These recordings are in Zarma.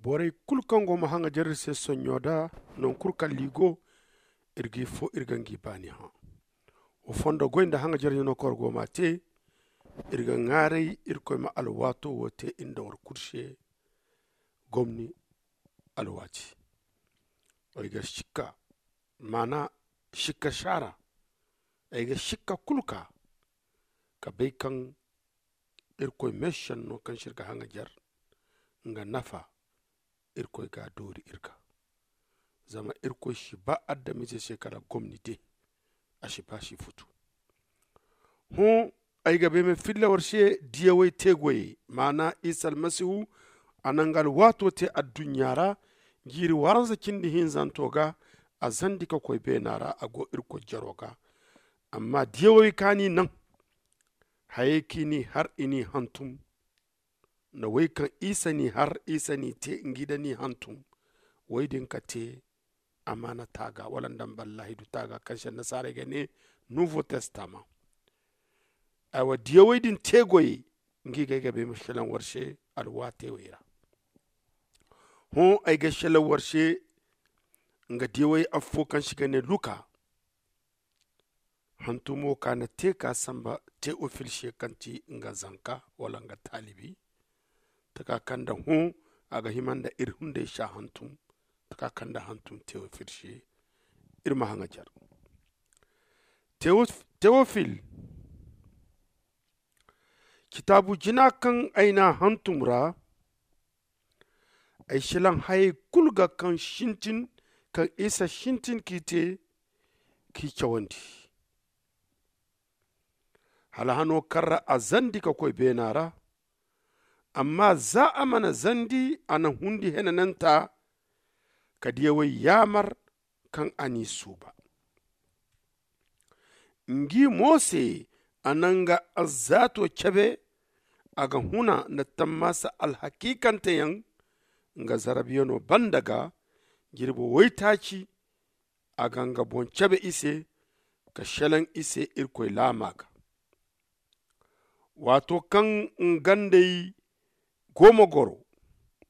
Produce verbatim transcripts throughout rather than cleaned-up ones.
Borey kulu kaŋ go ma haŋajer iri se sonɲo da, non kulu kaŋ liigo iri ga i fo iri ga ngi baani hã. Wa fondo goy nda haŋajer ɲano kaŋ war go ma a te. Iri ga ŋaaray irkoy ma alwaato wo te iri nda war kulu se. Gomni alwaati. Ay ga sikka maana sikka saara. Ay ga sikka kulu ka ka bay kaŋ irkoy meesenno kaŋ se iri ga haŋajer nga nafa. Irkoy ga a doori iri ga. Zama irkoy si ba adamize se kala gomni de. A si ba si futu. Hõ, ay ga bay ma filla war se diyawey teegoyey maana isa almasihu. A na nga alwaato te adduɲɲa ra jiiri waranza cindi hinzanto ga. A zandi ka koy beena ra a go irkoy jaro ga. Amma diyawey kaŋ a n'i naŋ hayey kaŋ i n'i har i n'i hantum. Nda wey kaŋ isa n'i har isa n'i te ngi nda n'i hantum. Wey din ka te amaana taaga wala nda nballaahidu taaga kaŋ se annasaarey ga ne nuuvo testama. Aywa diyawey din teegoyey ngi ga ay ga bay ma selaŋ war se alwaatey wey ra. Hõ, ay ga selaŋ war se nga diyawey affo kaŋ se i ga ne luka. Hantumo ka na te ka samba teofil se kaŋ ti nga zanka wala nga taalibi. Taka kaŋ nda hõ a ga hima nda iri hunday si a hantum. Taka kaŋ nda hantum teofil se. Iri ma haŋajer teofil. Kitaabu jina kaŋ ay n'a hantum ra. Ay silaŋ hayey kulu ga kaŋ sintin kaŋ isa sintin k'i te k'i cawandi. Hala hano kaŋ ra a zandi ka koy beena ra. Amma za a mana zandi a na hundi henananta ka diyawey yaamar kaŋ a n'i suuba. Ngi mo se a na nga alzaato cabe. A ga huna nda tammaasa alhakiikanteyaŋ nga zarabiyano banda ga jirbi waytaaci. A ga nga boŋ cabe i se ka selaŋ i se irkoy laama ga. Waato kaŋ nga nd'ey go ma goro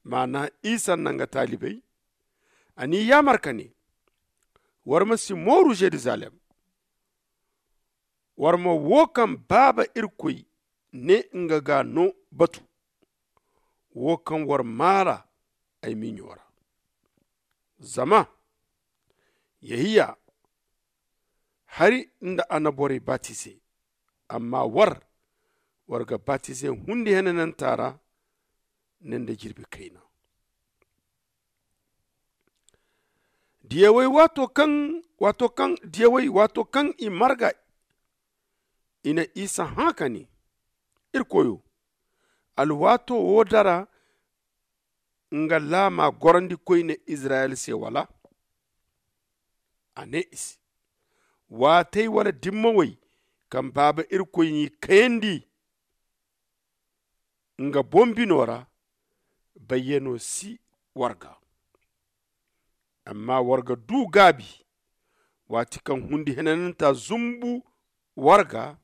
maana isa nda nga taalibey. A n'i yaamar ka ne, war ma si mooru yeruzalem. War ma wo kaŋ baaba irkoy ne nga ga no batu. Wo kaŋ war maara ay miɲo ra. Zama yehiya hari nda annaborey batize. Amma war war ga batize hundi henananta ra ne nda jirbi kayna. Diyawey waato kaŋ waato kaŋ diyawey waato kaŋ i marga i na isa hã ka ne, iri koyo, alwaato wo dara nga laama gorandi koyne izirayel se wala? A ne i se, waatey wala dimmawey kaŋ baaba irkoy n'i kayandi nga boŋ bino ra, bayyano si war ga. Amma war ga du gaabi waati kaŋ hundi henananta zumbu war ga.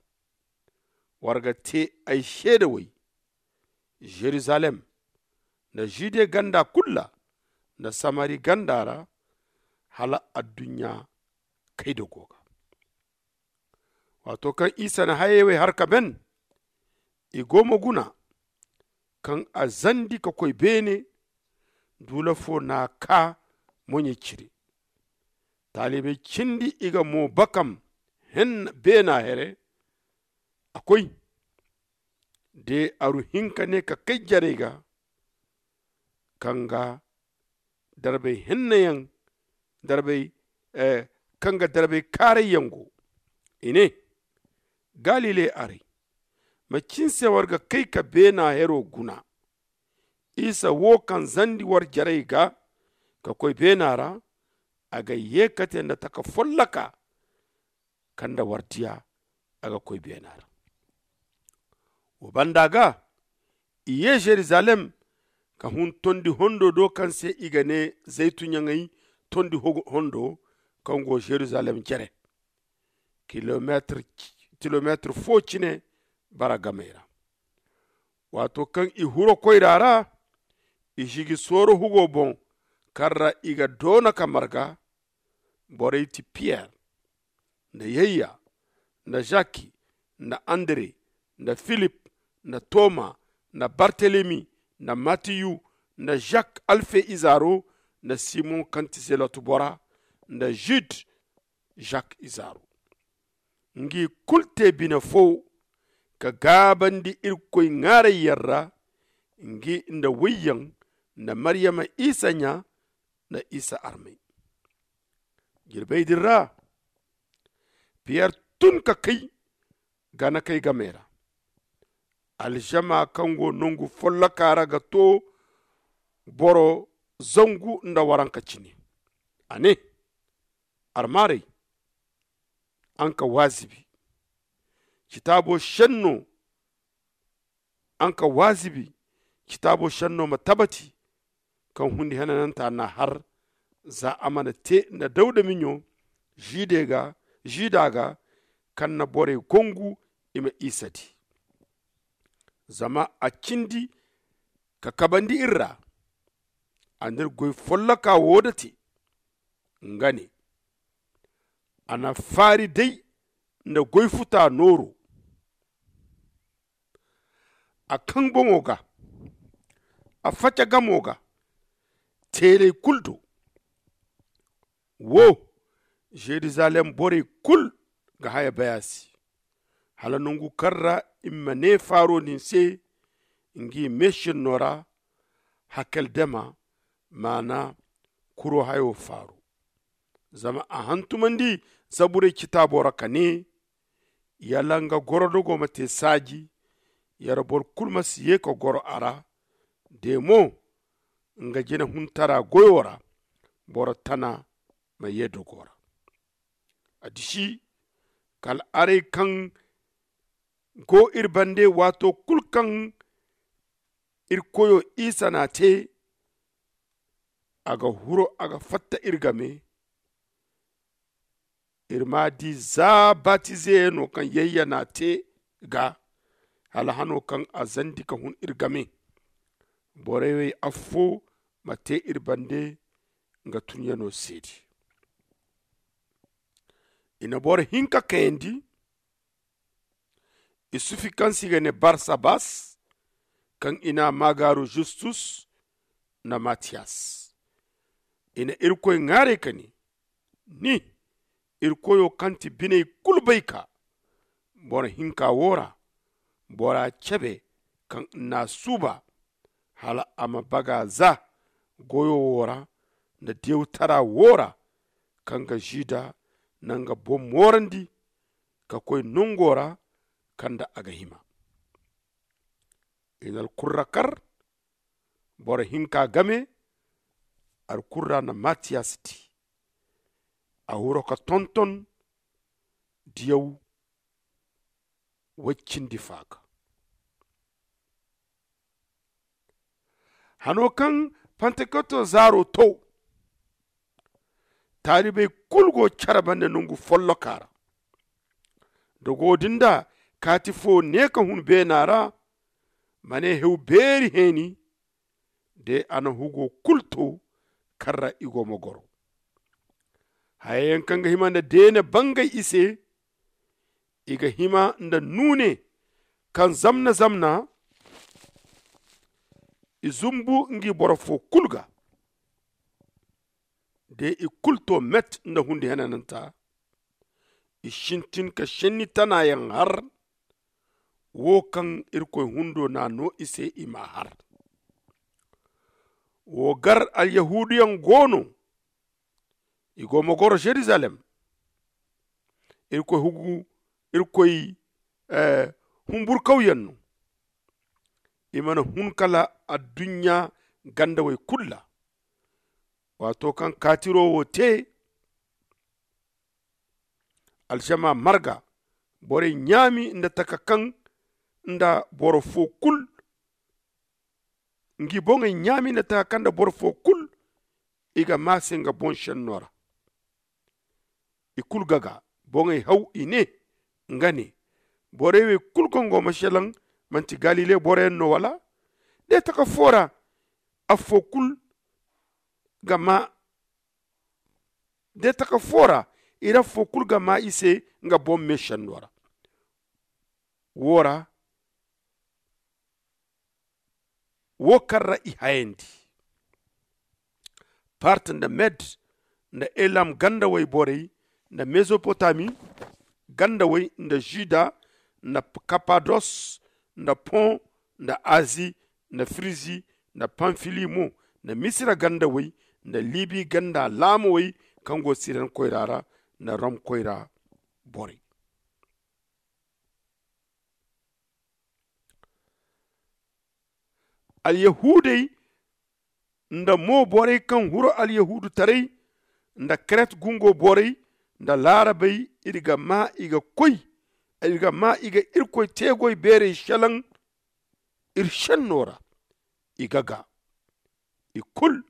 War ga te ay seedawey yeruzalem nda jude ganda kulu ra nda samari ganda ra, hala adduɲɲa kay da go ga. Waato kaŋ isa na hayey wey har ka ben, i go ma guna kaŋ a zandi ka koy beene. Duula fo n'a kaa moɲey cire. Taalibey cindi i ga mo bakam beena here. A koy de aru hinka ne ka kay jarey ga kaŋ ga darbey hennayaŋ darbey kaŋ ga darbey kaarayyaŋ go. I ne, galile arey, macin se war ga kay ka beena hero guna? Isa wo kaŋ zandi war jarey ga ka koy beena ra, a ga ye kate nda taka folloka kaŋ nda war diya a ga koy beena ra. Wo banda ga i ye yeruzalem ka hun tondi hondo do kaŋ se i ga ne zaytunyaŋey tondi hondo kaŋ go yeruzalem jere kilomeetir fo cine bara gamey ra. Waato kaŋ i huro koyra ra, I sigi sooro hugo boŋ kaŋ ra i ga doona ka marga. Borey ti piyer, nda yayya, nda zaki, nda andre, nda filip, nda toma, nda bartelemi, nda matiyu, nda zak alfe izaaro, nda simon kaŋ ti zelot bora, nda zud, zak izaaro. Ngi kulu te bine fo ka gaabandi irkoy ŋaarayyaŋ ra, ngi nda woyyaŋ, nda maryama isa ɲa, nda isa armey. Jirbey din ra, piyer tun ka kay ganakey game ra. Alzama kaŋ go nangu folloka ra ga to boro zangu nda waranka cine. A ne, armaarey, araŋ ka waazibi. Citaabo senno araŋ ka waazibi. Citaabo senno ma tabati kaŋ hundi henananta n'a har, za a mana te nda dawda miɲo, ziida ga kaŋ na borey gongu i ma isa di. Zama a cindi ka kabandi iri ra. A n'iri goy folloka wo da te. Nga ne, a na faari day nda goy futa nooro. A kaŋ boŋo ga, a faca gamo ga, teeley kulu do. Wo, zerizalem borey kulu ga haya bay a se, hala nangu kaŋ ra i ma ne faaro din se, ngi meesenno ra, hakeldama, maana kuro hayo faaro. Zama a hantumandi zaburey citaabo ra ka ne, yala nga gorodogo ma te saaji, yara boro kulu ma si ye ka goro a ra. De mo, nga jina huntara goyo ra, boro tana ma ye dogo ra. A disi, kala arey kaŋ go iri bande, waato kulu kaŋ iri koyo isa n'a te, a ga huro a ga fatta iri game. Iri m'a di za batizeyaŋo kaŋ yayya n'a te ga, hala hano kaŋ a zandi ka hun iri game. Borey wey affo ma te iri bande nga tunyaŋo seedi. I na boro hinka kayandi, isufi kaŋ se i ga ne barsabas, kaŋ i n'a maagaaru justus, nda matiyas. I na irkoy ŋwaaray ka ne, ni, irkoyo kaŋ ti biney kulu bayka, boro hinka wo ra, bora cebe kaŋ n'a suuba, hala a ma baga za goyo wo ra, nda diyawtara wo ra, kaŋ ga zida nanga boŋ moorandi, ka koy nango ra kaŋ nda a ga hima. I na alkurra kar, boro hinka game. Alkurra na matiyas di, a huro ka tonton diyaw way cindi fa ga. Hano kaŋ pantekoto zaaro to, taalibey kulu go care bande nangu folloka ra. Dogo din da kaati fo ne ka hun beena ra, ma ne hew beeri heeni, de a na hugo kulu to kaŋ ra i go ma goro. Hayayaŋ kaŋ ga hima nda deene bangay i se, i ga hima nda nuune kaŋ zamna zamna. I zumbu ngi boro fo kulu ga, de i kulu to met nda hundi henananta. I sintin ka senni tanayaŋ har, wo kaŋ irkoy hundo n'a no i se i m'a har. Wo gar alyahuuduyaŋ go no, i go ma goro zerizalem. Irkoy hugu, irkoy humburkawyaŋ no. I mana hun kala adduɲɲa gandawey kulu ra. Waato kaŋ kaatiro wo te, alsama marga, borey ɲaami nda taka kaŋ nda boro fo kulu. Ngi boŋey ɲaami nda taka kaŋ nda boro fo kulu, i ga maa se nga boŋ senno ra. I kulu ga ga boŋey haw i ne, nga ne, borey wey kulu kaŋ go ma selaŋ, manti galile boroyaŋ no wala? De taka fo ra. affo kulu ga ma de taka fo ra. Iri affo kulu ga ma i se nga boŋ meesenno ra. Wo ra wo kaŋ ra i hayandi part nda med nda elam gandawey borey nda mezopotami gandawey nda juda nda kapados nda pon nda azi nda firizi nda pamfili mo nda misira gandawey nda libi ganda laamowey kaŋ go siren koyra ra nda rom koyra borey. Alyahuudey nda mo borey kaŋ huru alyahuudutaray nda kret gungo borey nda laarabey iri ga ma i ga koy iri ga ma i ga irkoy teegoy beerey selaŋ iri senno ra. I ga ga i kulu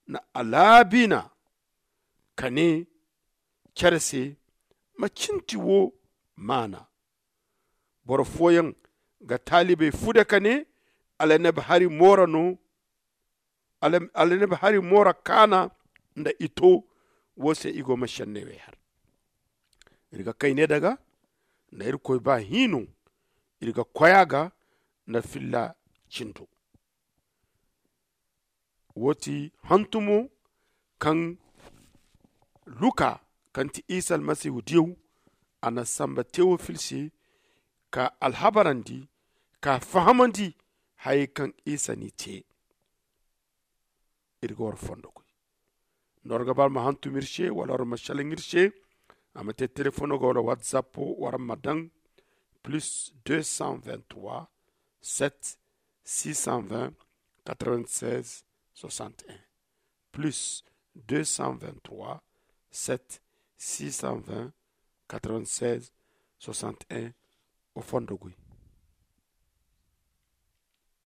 na alaabina ka ne care se ma cinti wo maana. Boro fooyaŋ ga taalibey fude ka ne, alaneb hari moora no alaneb hari moora kaana nda i to. Wo se i go ma senney wey har. Iri ga kayne daga nda irkoy ba hiino. Iri ga koy a ga nda filla cindo. Wo ti hantumo kaŋ luka kaŋ ti isa almasihu diyaw a na samba tewofil se ka alhabarandi ka fahamandi hayey kaŋ isa n'i te. Iri ga war fondo koy nda war ga ba war ma hantum iri se wala war ma selaŋ iri se. A ma te telefono ga wala whatsapp war ma daŋ plus deux cent vingt-trois sept six cent vingt quatre-vingt-seize soixante et un plus deux cent vingt-trois sept six cent vingt quatre-vingt-seize soixante et un. O fondo goy